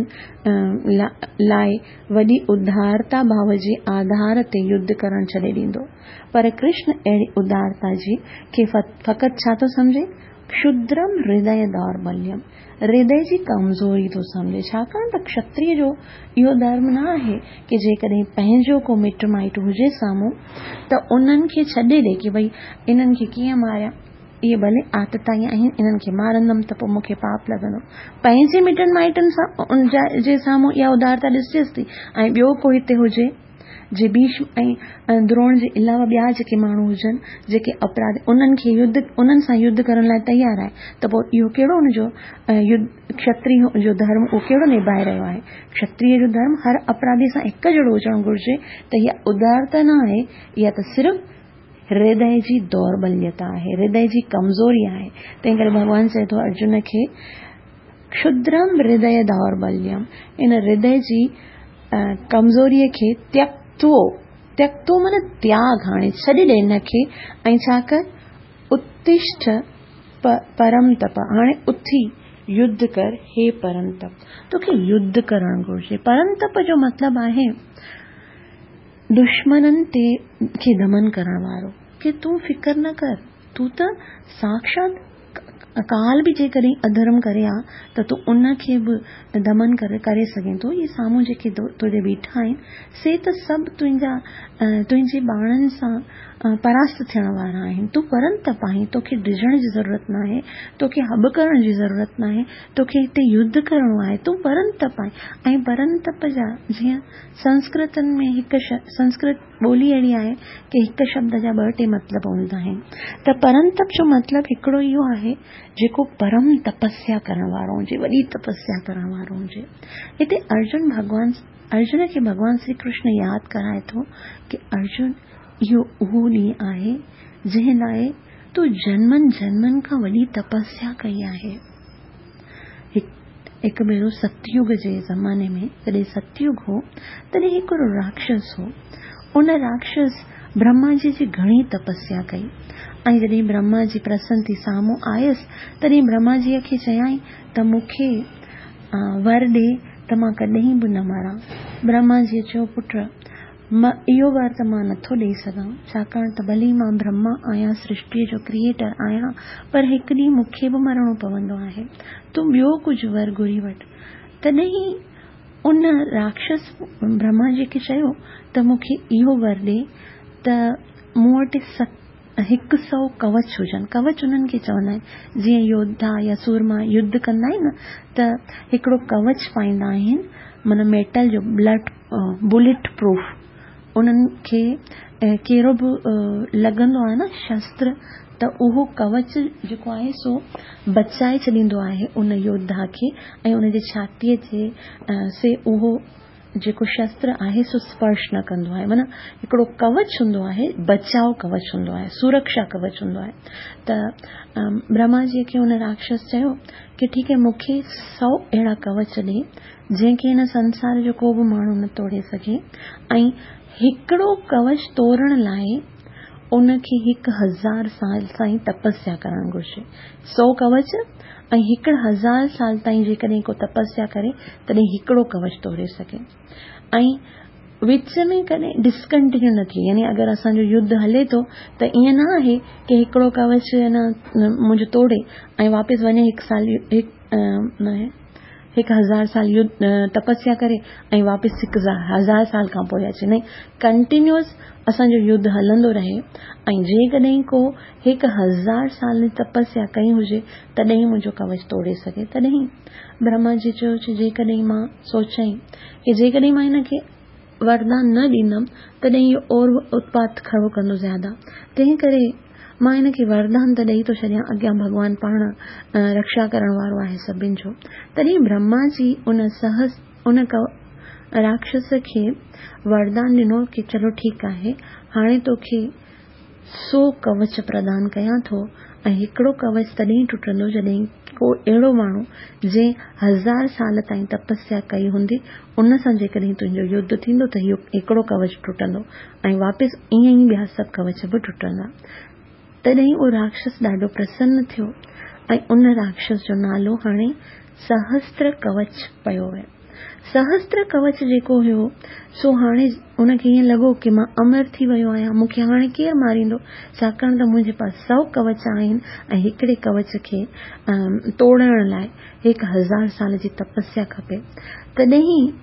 لاءِ وڏي ادارتا ڀاو جي آڌار تي يڌ ڪرڻ ڇڏي ڏيندو، پر ڪرشن اهڙي ادارتا جي کي فقط ڇا ٿو سمجهي؟ ڪشدرم هردي دوربليم، هردي جي ڪمزوري ٿو سمجهي. ڇاڪاڻ ته ڪشتريه جو اهو ڌرم نه آهي ڪه جيڪڏهن پنهنجو ڪو مٽ مائٽ هجي سامهون ته انهن کي ڇڏي ڏي ڪه ڀئي انهن کي ڪيئن ماريان، اهي ڀلي آتتائي آهن، انهن کي مارندم ته پوءِ مون کي پاپ لڳندو. پنهنجي مٽن مائٽن سان جي سامهون اها ادارتا ڏسجيس ٿي ۽ ٻيو ڪو هتي هجي جي ڀيشم ۽ دروڻ جي علاوه ٻيا جيڪي ماڻهو هجن جيڪي اپراڌ انهن کي يڌ انهن سان يڌ ڪرڻ لاءِ تيار آهي ته پوءِ اهو ڪهڙو هن جو يڌ ڪشتريه جو ڌرم اهو ڪهڙو نڀائي رهيو آهي؟ ڪشتريه جو ڌرم هر اپراڌي سان هڪ جهڙو هجڻ گهرجي. ته اها ادارتا نه آهي، اها ته صرف هردي جي دوربليتا آهي، هردي جي ڪمزوري آهي. تنهن ڪري ڀڳوان چئي ٿو ارجن کي ڪشدرم هردي دوربليم، ان هردي جي ڪمزوريءَ کي تيڪتو، تيڪتو معنيٰ تياڳ، هاڻي ڇڏي ڏي هن کي ۽ ڇا ڪر، اتشٺ پرم تپ، هاڻي اٿي يڌ ڪر. هي پرم تپ، توکي يڌ ڪرڻ گهرجي. پرم تپ جو مطلب آهي دشمنن تي کي دمن ڪرڻ وارو، ڪه تون فڪر نه ڪر، تون ته ساڪشات ڪال به جيڪڏهن اڌرم ڪري ها ته تون ان کي به دمن ڪري ڪري سگهين ٿو. اهي سامهون جيڪي تنهنجي بيٺا آهن سي ته سڀ تنهنجا تنهنجي ٻارن سان پراست ٿيڻ وارا آهن. تون پرم تپ آهين، توکي ڊڄڻ جي ضرورت نه آهي، توکي هٻ ڪرڻ جي ضرورت نه آهي، توکي هتي يڌ ڪرڻو آهي. تون پرم تپ آهين. ۽ پرم تپ جا جيئن سنسڪرتن ۾ هڪ سنسڪرت ٻولي اهڙي آهي ڪه هڪ شبد جا ٻه ٽي مطلب هوندا آهن. ته پرم تپ جو مطلب هڪڙو اهو آهي جيڪو پرم تپسيا ڪرڻ وارو هجي، وڏي تپسيا ڪرڻ وارو هجي. هتي ارجن ڀڳوان ارجن کي ڀڳوان شري ڪرشن ياد ڪرائي ٿو ڪه ارجن، اهو اهو ڏينهن آهي جنهن لاءِ تون جنمن جنمن کان وڏي تپسيا ڪئي آهي. هڪ ڀيرو ستيگ جي زماني ۾ جڏهن ستيگ هو تڏهن هڪڙو راڪشس هو. ان راڪشس برهما جي جي گهڻي تپسيا ڪئي ۽ جڏهن برهما جي پرسن ٿي سامهون آيس تڏهن برهما جيءَ کي چيائين ته مون کي ور ڏي ته مان ڪڏهن به نه مران. برهما جيءَ چيو، پٽ، اهو ور ته مان نٿو ڏيئي سگهان، ڇاڪاڻ ته ڀلي مان برهما آهيان، سرشٽيءَ جو ڪريئيٽر آهيان، پر هڪ ڏينهن مون کي به مرڻو پوندو آهي. تون ٻيو ڪجهه ور گهري وٺ. تڏهن ان راڪشس برهما جي کي چيو ته مون کي اهو ور ڏي ته مون وٽ هڪ سؤ ڪوچ هجن. ڪوچ انهن کي چوندا آهن جيئن يوڌا يا سورما يڌ ڪندا آهن ته هڪڙو ڪوچ پائيندا آهن، معنيٰ ميٽل جو بلٽ بليٽ پروف، انهن کي ڪهڙو به لڳندو آهي نه شستر ته اهو ڪوچ جيڪو آهي سو بچائي ڇڏيندو آهي ان يوڌا کي ۽ ان جي ڇاتيءَ جي سي اهو جيڪو شستر آهي سو سپرش نه ڪندو آهي. معنيٰ هڪڙو ڪوچ هوندو آهي، بچاء ڪوچ هوندو آهي، سرڪشا ڪوچ هوندو آهي. ته برهما جي کي ان راڪشس چيو ڪه ٺيڪ آهي، مون کي سؤ اهڙا ڪوچ ڏي جنهن کي هن سنسار جو ڪو به ماڻهو نه توڙي سگهي، ۽ هڪڙو ڪوچ توڙڻ لاءِ ان کي هڪ هزار سال تائين تپسيا ڪرڻ گهرجي. سؤ ڪوچ ۽ هڪ هزار سال تائين جيڪڏهن ڪو تپسيا ڪري تڏهن هڪڙو ڪوچ توڙي سگهي، ۽ وچ ۾ ڪڏهن ڊسڪنٽينيو نه ٿئي. يعني اگر اسان جو يڌ هلي ٿو ته ائين نه آهي ڪه هڪڙو ڪوچ نه منهنجو توڙي ۽ واپس وڃي هڪ سال هڪ هڪ هزار سال يڌ تپسيا ڪري ۽ واپس هڪ هزار سال کان پوءِ اچي. نه، ڪنٽينيوئس اسان جو يڌ هلندو رهي، ۽ جيڪڏهن ڪو هڪ هزار سال تپسيا ڪئي هجي تڏهن منهنجو ڪوچ توڙي سگهي. تڏهن برهما جي چيو جيڪڏهن مان سوچيائين ڪه جيڪڏهن مان هن کي وردان نه ڏيندم تڏهن اهو اور اتپات کڙو ڪندو زياده، تنهن ڪري مان هن کي وردان ته ڏيئي ٿو ڇڏيان، اڳيان ڀڳوان پاڻ رڪشا ڪرڻ وارو آهي سڀني جو. تڏهن برهما جي ان سهس ان راڪشس کي وردان ڏنو ڪه چلو ٺيڪ آهي، هاڻي توکي سؤ ڪوچ پردان ڪيان ٿو، ۽ هڪڙو ڪوچ تڏهن ٽٽندو جڏهن ڪو اهڙو ماڻهو جنهن هزار سال تائين تپسيا ڪئي هوندي ان سان جيڪڏهن تنهنجو يڌ ٿيندو ته اهو هڪڙو ڪوچ ٽٽندو، ۽ واپس ائين ئي ٻيا سڀ ڪوچ به ٽٽندا. تڏهن اهو راڪشس ڏاڍو پرسن ٿيو، ۽ ان راڪشس جو نالو هاڻي سهستر ڪوچ پيو ويو. سهستر ڪوچ جيڪو هيو سو هاڻي ان کي ائين لڳو ڪه مان امر ٿي ويو آهيان، مون کي هاڻي ڪير ماريندو، ڇاڪاڻ ته منهنجي پاس سؤ ڪوچ آهن ۽ هڪڙي ڪوچ کي توڙڻ لاءِ هڪ هزار سال جي تپسيا کپي. تڏهن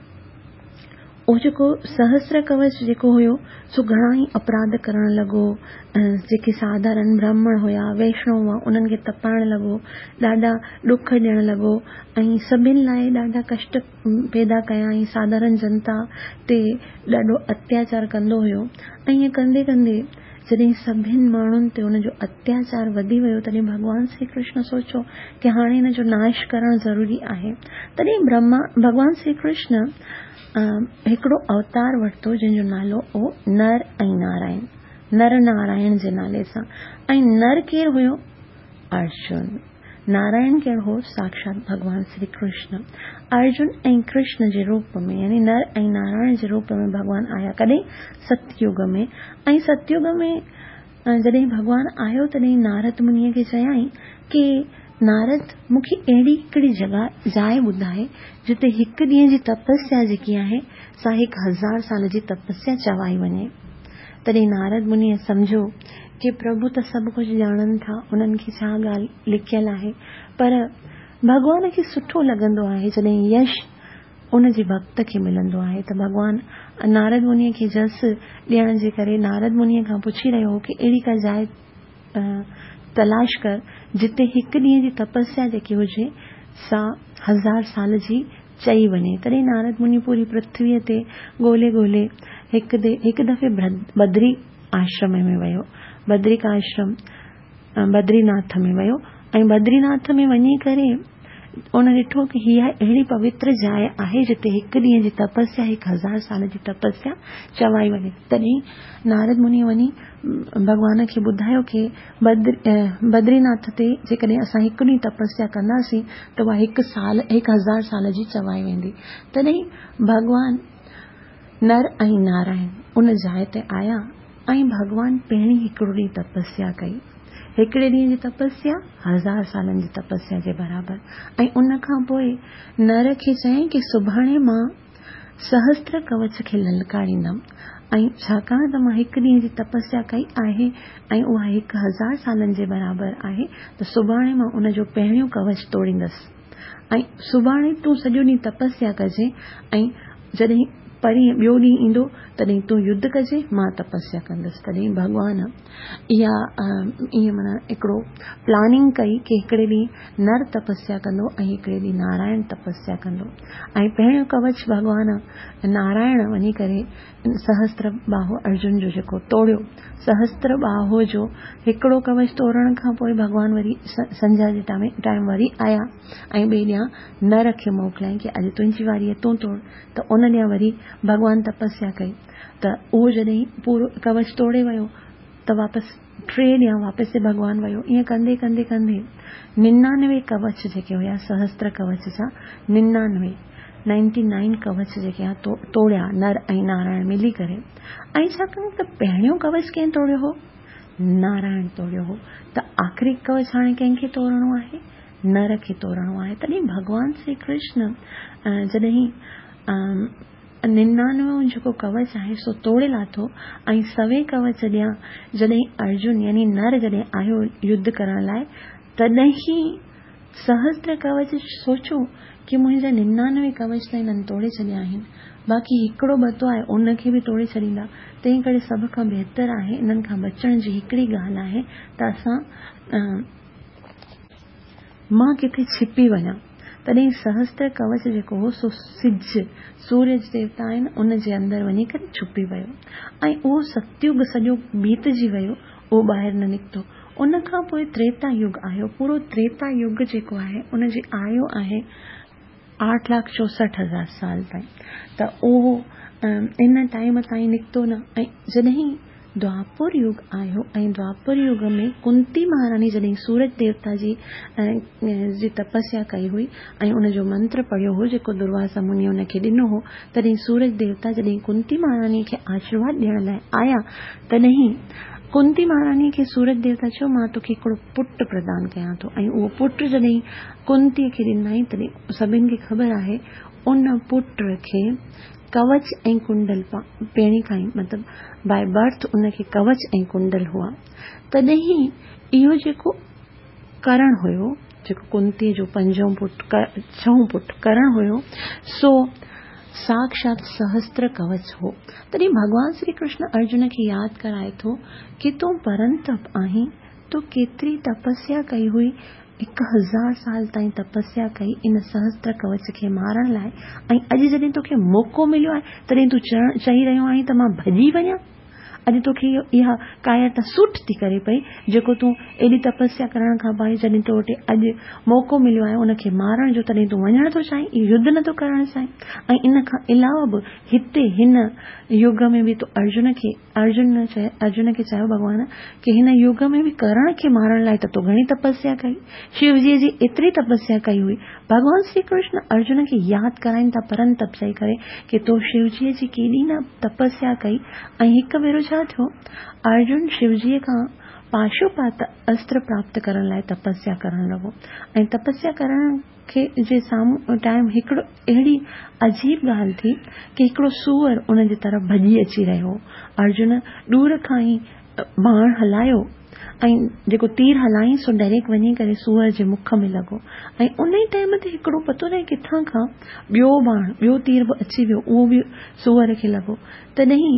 اهو جيڪو سهستر ڪوچ جيڪو هيو سو گهڻا ئي اپراڌ ڪرڻ لڳو. جيڪي ساڌارڻ برهمڻ هئا، ويشنو هئا، انهن کي تپائڻ لڳو، ڏاڍا ڏک ڏيڻ لڳو، ۽ سڀني لاءِ ڏاڍا ڪشٽ پيدا ڪيائين. ساڌارڻ جنتا تي ڏاڍو اتياچار ڪندو هيو. ۽ ائين ڪندي ڪندي جڏهن سڀني ماڻهن تي ان جو اتياچار وڌي ويو تڏهن ڀڳوان شري ڪرشن سوچيو ڪه هاڻي هن جو ناش ڪرڻ ضروري آهي. تڏهن برهما ڀڳوان شري ڪرشن هڪڙو اوتار ورتو جنهن جو نالو هو نر ۽ نارائڻ، نر نارائڻ جي نالي سان. ۽ نر ڪير هيو؟ ارجن. نارائڻ ڪير هو؟ ساڪشات ڀڳوان شري ڪرشن. ارجن ۽ ڪرشن جي روپ ۾ يعني نر ۽ نارائڻ جي روپ ۾ ڀڳوان آيا. ڪڏهن؟ ستيگ ۾. ۽ ستيگ ۾ جڏهن ڀڳوان آيو تڏهن نارد منيءَ کي چيائين ڪه نارد، مون کي اهڙي هڪڙي جڳهه جاءِ ٻڌائي جتي هڪ ڏينهن جي تپسيا جيڪي آهي سا هڪ هزار سال جي تپسيا چوائي وڃي. تڏهن نارد منيءَ سمجهيو ڪه پرڀو ته سڀ ڪجهه ڄاڻن ٿا، انهن کي ڇا ڳالهه لکيل آهي، پر ڀڳوان کي سٺو لڳندو آهي جڏهن يش ان جي ڀڪت کي ملندو آهي. ته ڀڳوان نارد منيءَ کي جس ڏيڻ جي ڪري نارد منيءَ کان پڇي رهيو هو ڪه اهڙي ڪا جاءِ تلاش ڪر جتي هڪ ڏينهن جي تپسيا جيڪي هجي سا هزار سال جي چئي وڃي. تڏهن نارد مني پوري پرٿويءَ تي ڳولهي ڳولهي هڪ هڪ دفعي بدري آشرم ۾ ويو، بدرڪا آشرم بدريناٿ ۾ ويو. ۽ بدريناٿ ۾ وڃي ڪري ان ڏٺو ڪه هيءَ اهڙي پوتر جاءِ آهي جتي هڪ ڏينهن جي تپسيا هڪ هزار سال جي تپسيا چوائي وڃي. تڏهن نارد مني وڃي ڀڳوان کي ٻڌايو ڪه بدريناٿ تي جيڪڏهن اسان هڪ ڏينهن تپسيا ڪنداسين ته اها هڪ سال هڪ هزار سال جي چوائي ويندي. تڏهن ڀڳوان نر ۽ نارائڻ ان جاءِ تي آيا ۽ ڀڳوان پهرين هڪڙو ڏينهن تپسيا ڪئي. هڪڙي ڏينهن جي تپسيا هزار سالن جي تپسيا جي برابر. ۽ ان کان پوءِ نر کي چيائين ڪه سڀاڻي مان سهستر ڪوچ کي للڪاريندم، ۽ ڇاڪاڻ ته مان هڪ ڏينهن جي تپسيا ڪئي آهي ۽ اها هڪ هزار سالن جي برابر آهي، ته سڀاڻي مان ان جو پهريون ڪوچ توڙيندس. ۽ سڀاڻي تون سڄو ڏينهن تپسيا ڪجي، ۽ جڏهن پرينهن ٻيو ڏينهن ايندو تڏهن تون يڌ ڪجي، مان تپسيا ڪندس. تڏهن ڀڳوان اها ائين معنيٰ هڪڙو پلاننگ ڪئي ڪه هڪڙي ڏينهن نر تپسيا ڪندو ۽ هڪڙي ڏينهن نارائڻ تپسيا ڪندو. ۽ پهريون ڪوچ ڀڳوان نارائڻ وڃي ڪري سهستر باهو ارجن جو جيڪو توڙيو، سهستر باهو جو هڪڙو ڪوچ توڙڻ کان پوءِ ڀڳوان وري سنجها جي ٽائيم وري آيا ۽ ٻئي ڏينهن نر کي موڪليائين ڪه اڄ تنهنجي واري آهي تون توڙ. ته ان ڏينهن وري ڀڳوان تپسيا ڪئي ته اهو جڏهن پورو ڪوچ توڙي ويو ته واپس ٽي ڏينهن واپس ڀڳوان ويو. ائين ڪندي ڪندي ڪندي ننانوي ڪوچ جيڪي هئا سهستر ڪوچ جا ننانوي نائنٽي نائن ڪوچ جيڪي توڙيا نر ۽ نارائڻ ملي ڪري. ۽ ڇاڪاڻ ته پهريون ڪوچ ڪنهن توڙيو هو؟ نارائڻ توڙيو هو. ته آخري ڪوچ هاڻي ڪنهن کي توڙڻو آهي؟ نر کي توڙڻو آهي. تڏهن ڀڳوان شري ڪرشن جڏهن ننانوي جيڪو ڪوچ آهي سو توڙي لاٿو ۽ سوين ڪوچ ڏيان جڏهن ارجن يعني نر جڏهن آيو يڌ ڪرڻ لاءِ تڏهن سهستر ڪوچ سوچو ڪه منهنجا ننانوي ڪوچ ته هنن توڙي ڇڏيا آهن، باقي هڪڙو ٻتو آهي ان کي به توڙي ڇڏيندا. تنهن ڪري سڀ کان بهتر آهي انهن کان بچڻ جي هڪڙي ڳالهه آهي ته اسان مان ڪٿي ڇپي وڃان. تڏهن سهستر ڪوچ جيڪو هو سو سج سوريه ديوتا آهن ان جي اندر وڃي ڪري ڇپي ويو ۽ اهو ستيگ سڄو بيتجي ويو، اهو ٻاهر نه نڪتو. ان کان پوءِ تريتا يگ آيو. پورو تريتا يگ جيڪو آهي ان جي آيو آهي آٺ لاک چوهٺ هزار سال تائين. ته اهو ان ٽائيم تائين نڪتو نه. ۽ جڏهن دواپر يگ آيو ۽ دواپر يگ ۾ ڪنتي مهاراڻي جڏهن سورج ديوتا جي جي تپسيا ڪئي هئي ۽ ان جو منتر پڙهيو هو جيڪو درواسا مني ان کي ڏنو هو، تڏهن سورج ديوتا جڏهن ڪنتي مهاراڻي کي آشيرواد ڏيڻ لاءِ آيا تڏهن ڪنتي مهاراڻي کي سورج ديوتا چيو مان توکي هڪڙو پٽ پردان ڪيان ٿو. ۽ اهو پٽ جڏهن ڪنتيءَ کي ڏنائين تڏهن سڀني کي خبر آهي ان پٽ کي ڪوچ ۽ ڪنڊل پهرين کان ئي مطلب باءِ برٿ ان کي ڪوچ ۽ ڪنڊل هئا. تڏهن اهو جيڪو ڪرڻ هيو جيڪو ڪنتيءَ جو پنجون پٽ ڇهون پٽ ڪرڻ هيو سو ساڪشات سهستر ڪوچ هو. تڏهن ڀڳوان شري ڪرشن ارجن کي ياد ڪرائي ٿو ڪه تون پرنتپ آهين، تو ڪيتري تپسيا ڪئي هئي، هڪ هزار سال تائين تپسيا ڪئي ان سهستر ڪوچ کي مارڻ لاءِ ۽ اڄ جڏهن توکي موقعو مليو آهي تڏهن تون چئي رهيو آهين ته مان ڀڄي وڃان. اڄ توکي اها ڪايرتا سوٽ ٿي ڪري پئي جيڪو تون ايڏي تپسيا ڪرڻ کان پوءِ جڏهن تو وٽ اڄ موقعو مليو آهي ان کي مارڻ جو تڏهن تون وڃڻ ٿو چاهين، يڌ نٿو ڪرڻ چاهين. ۽ ان کان علاوه به هتي هن يگ ۾ به تون ارجن کي ارجن ارجن کي چيو ڀڳوان ڪه هن يگ ۾ به ڪرڻ کي مارڻ لاءِ ته تو گهڻي تپسيا ڪئي، شوجيءَ جي ايتري تپسيا ڪئي هئي. ڀڳوان شري ڪرشن ارجن کي ياد ڪرائين ٿا پرنتپ چئي ڪري ڪه تو شوجيءَ جي ڪيڏي نه تپسيا ڪئي. ۽ هڪ ڀيرو ڇا ٿيو، ارجن شوجيءَ کان پاشوپات استر پراپت ڪرڻ لاءِ تپسيا ڪرڻ لڳو ۽ تپسيا ڪرڻ کي جي سامهون ٽائيم هڪڙو اهڙي عجيب ڳالهه ٿي ڪه هڪڙو سوئر ان جي طرف ڀڄي اچي رهيو هو. ارجن ڏور کان ئي ٻاڻ هلايو ۽ جيڪو تير هلايائين سو ڊائريڪٽ وڃي ڪري سوئر جي مک ۾ لڳو ۽ ان ئي ٽائيم تي هڪڙو پتو ناهي ڪٿان کان ٻيو ٻاڻ ٻيو تير به اچي ويو، اهو به سوئر کي لڳو. تڏهن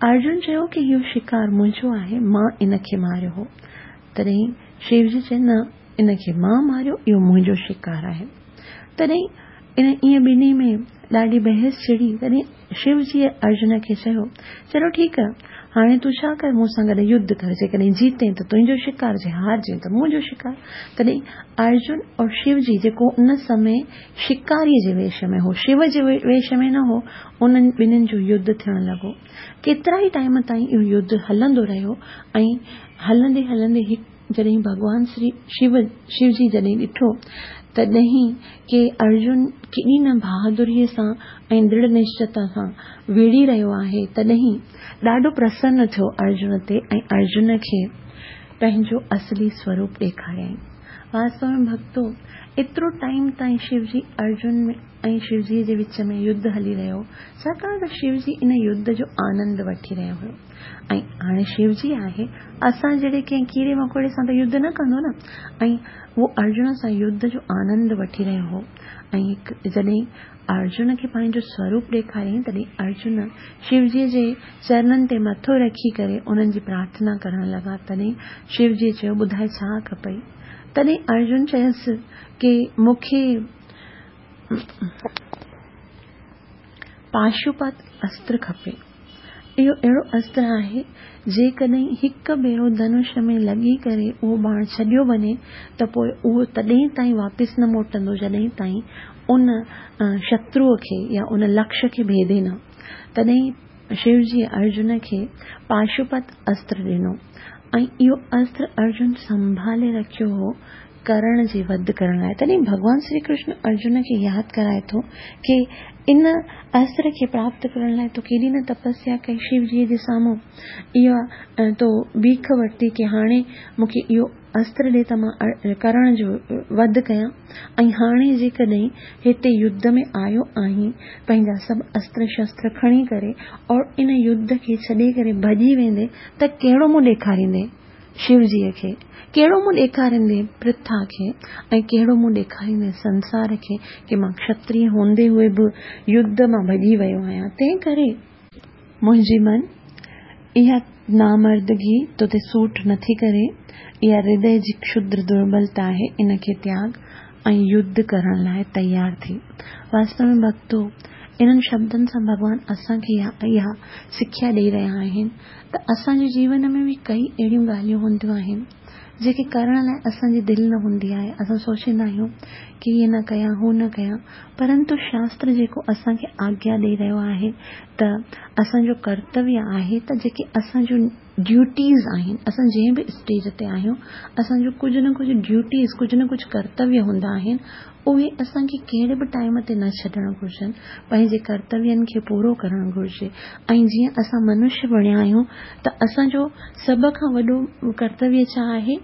ارجن چيو ڪه اهو شڪار منهنجو آهي، مان ان کي ماريو هو. تڏهن شوجي چيو نه ان کي مان ماريو، اهو منهنجو شڪار آهي. تڏهن ان ائين ٻنهي ۾ ڏاڍي بحث ڇڙي. تڏهن شوجيءَ ارجن کي چيو چلو ٺيڪ آهي، هاڻي تون ڇا ڪر، مون سان گڏ يڌ ڪر، جيڪڏهن جيتين ته تنهنجو شڪار، جي هارجين ته منهنجو شڪار. تڏهن ارجن اور شوجي جيڪو ان سمي شڪاريءَ جي ويش ۾ هو، شو جي ويش ۾ نه هو، انهن ٻنهن جو يڌ ٿيڻ لڳو. ڪيترا ئي ٽائيم تائين اهو يڌ هلندو رهيو ۽ هلندي هلندي هڪ جڏهن ڀڳوان شري شو شوجي جڏهن ڏٺو تڏهن ڪه ارجن ڪيڏي نه بهادريءَ سان ۽ درڙهه نشچيتا سان وڙهي رهيو آهي، تڏهن ڏاڍو پرسن ٿيو ارجن تي ۽ ارجن کي پنهنجو اصلي سوروپ ڏيکاريائين. واستو ۾ ڀڳتو ايترو ٽائيم تائين شوجي ارجن ۽ شوجيءَ جي وچ ۾ يڌ هلي رهيو، ڇاڪاڻ ته شوجي ان يڌ جو آنند وٺي رهيو هيو. ۽ هاڻي شوجي آهي اسان جهڙي ڪنهن ڪيڙي مڪوڙي سان ته يڌ نه ڪندو نه، ۽ اهو ارجن سان يڌ جو آنند وٺي رهيو هو. ۽ هڪ جڏهن ارجن کي پنهنجو سوروپ ڏيکاريائين تڏهن ارجن شوجيءَ جي چرنن تي مٿو رکي ڪري انهن جي پرارٿنا ڪرڻ لڳا. تڏهن شوجيءَ چيو ٻڌائي ڇا کپئي؟ تڏهن ارجن چيس ڪه مون کي پاشوپات استر کپي. اهو اهڙو استر آهي، جيڪڏهن هڪ ڀيرو ڌنش ۾ لڳي ڪري اهو ٻاڻ ڇڏيو وڃي ته پوءِ اهو تڏهن تائين واپس نه موٽندو جڏهن تائين ان شتروءَ کي يا ان لڪشيه کي ڀيدي نه. تڏهن شو جي ارجن کي پاشوپت استر ڏنو ۽ اهو استر ارجن سنڀالي رکيو هو ڪرڻ جي وڌ ڪرڻ لاءِ. تڏهن ڀڳوان شري ڪرشن ارجن کي ياد ڪرائي ٿو ڪه ان استر کي پراپت ڪرڻ لاءِ تو ڪيڏي نه تپسيا ڪئي شو جيءَ جي سامهون، اها تو بيک ورتي ڪه هاڻي مون کي اهو استر ڏي ته مان ڪرڻ جو وڌ ڪيان، ۽ هاڻي جيڪڏهن هتي يڌ ۾ آيو آهين پنهنجا سڀ استر شستر کڻي ڪري اور ان يڌ کي ڇڏي ڪري ڀڄي ويندي ته ڪهڙو منهن ڏيکاريندي شو جيءَ کي، ڪهڙو منهن ڏيکاريندي پرٿا کي، ۽ ڪهڙو منهن ڏيکاريندي سنسار کي ڪه مان کشتريه هوندي هئي به يڌ مان ڀڄي ويو آهيان. تنهن ڪري منهنجي من اها نامردگي تو تي سوٽ نٿي ڪري، اها هردي جي کشدر دربلتا آهي، ان کي تياڳ ۽ يڌ ڪرڻ لاءِ تيار ٿي. واستو ۾ ڀڳتو، انهن شبدن سان ڀڳوان اسان کي اها سکيا ڏيئي رهيا آهن ته اسان جي جيون ۾ به ڪئي اهڙيون ڳالهيون هونديون آهن جيڪي ڪرڻ لاءِ اسان جي دل نه هوندي آهي. اسان سوچيندا آهيون ڪه هيءَ نه ڪيان هو نه ڪيان، پرنتو شاستر جيڪو اسان کي آگيا ڏيئي رهيو آهي ته اسان جو ڪرتويه آهي ته جيڪي اسان جون ڊيوٽيز آهن، اسان جنهن به اسٽيج تي آهيون اسان جو ڪجهه نه ڪجهه ڊيوٽيز، ڪجهه نه ڪجهه ڪرتويه هوندا آهن، اهي اسان کي ڪهڙي به ٽائيم تي نه ڇڏڻ گهرجن، پنهنجي ڪرتوين کي پورو ڪرڻ گهرجي. ۽ جيئن اسان منشيه بڻيا آهيون ته اسان جو سڀ کان وڏو ڪرتويه ڇا آهي؟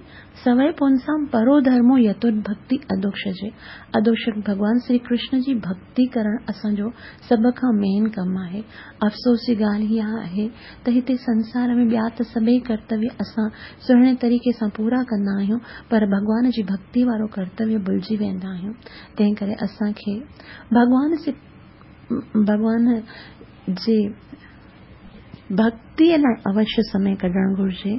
سوئي پنسام پرو ڌرمو يتود ڀڪتي ادوڪشجي. ادوڪشج ڀڳوان شري ڪرشن جي ڀڪتي ڪرڻ اسان جو سڀ کان مين ڪم آهي. افسوس جي ڳالهه اها آهي ته هتي سنسار ۾ ٻيا ته سڀئي ڪرتويه اسان سهڻي طريقي سان پورا ڪندا آهيون، پر ڀڳوان جي ڀڪتي وارو ڪرتويه ڀلجي ويندا آهيون. تنهن ڪري اسان کي ڀڳوان سي ڀڳوان جي ڀڪتيءَ لاءِ اوشيه سمي ڪڍڻ گهرجي.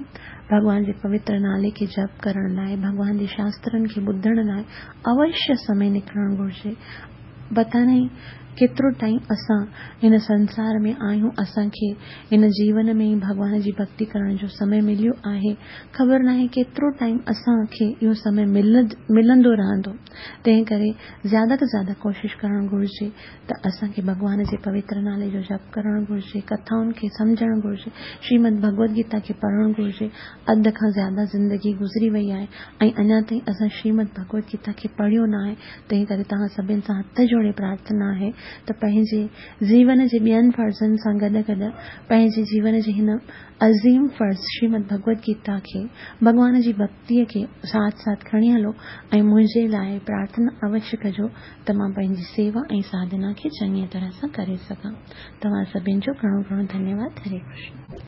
ڀڳوان جي پوتر نالي کي جپ ڪرڻ لاءِ، ڀڳوان جي شاسترن کي ٻڌڻ لاءِ اوشيه سمي نڪرڻ گهرجي. پتا نهي ڪيترو ٽائيم اسان هن سنسار ۾ آهيون، اسان کي هن جيون ۾ ئي ڀڳوان جي ڀڪتي ڪرڻ جو سمي مليو آهي، خبر ناهي ڪيترو ٽائيم اسان کي اهو سمي ملندو رهندو. تنهن ڪري زياده کان زياده ڪوشش ڪرڻ گهرجي ته اسان کي ڀڳوان جي پوتر نالي جو جپ ڪرڻ گهرجي، ڪٿائن کي سمجهڻ گهرجي، شريمد ڀڳوت گيتا کي پڙهڻ گهرجي. اڌ کان زياده زندگي گذري وئي آهي ۽ اڃا تائين اسان شريمد ڀڳوت گيتا کي پڙهيو نه آهي. تنهن ڪري توهان سڀني سان هٿ جوڙي پرارٿنا آهي ته پنهنجي جيون جي ٻين فرضن سان گڏ گڏ پنهنجي جيون جي هن عظيم فرض شريمد ڀڳوت گيتا کي، ڀڳوان جي ڀڪتيءَ کي ساٿ ساٿ کڻي هلو ۽ منهنجي لاءِ پرارٿنا اوشيه ڪجو ته مان پنهنجي سيوا ۽ ساڌنا کي چڱيءَ طرح سان ڪري سگهان. توهان سڀني جو گهڻو گهڻو ڌنيواد. هري ڪرشن.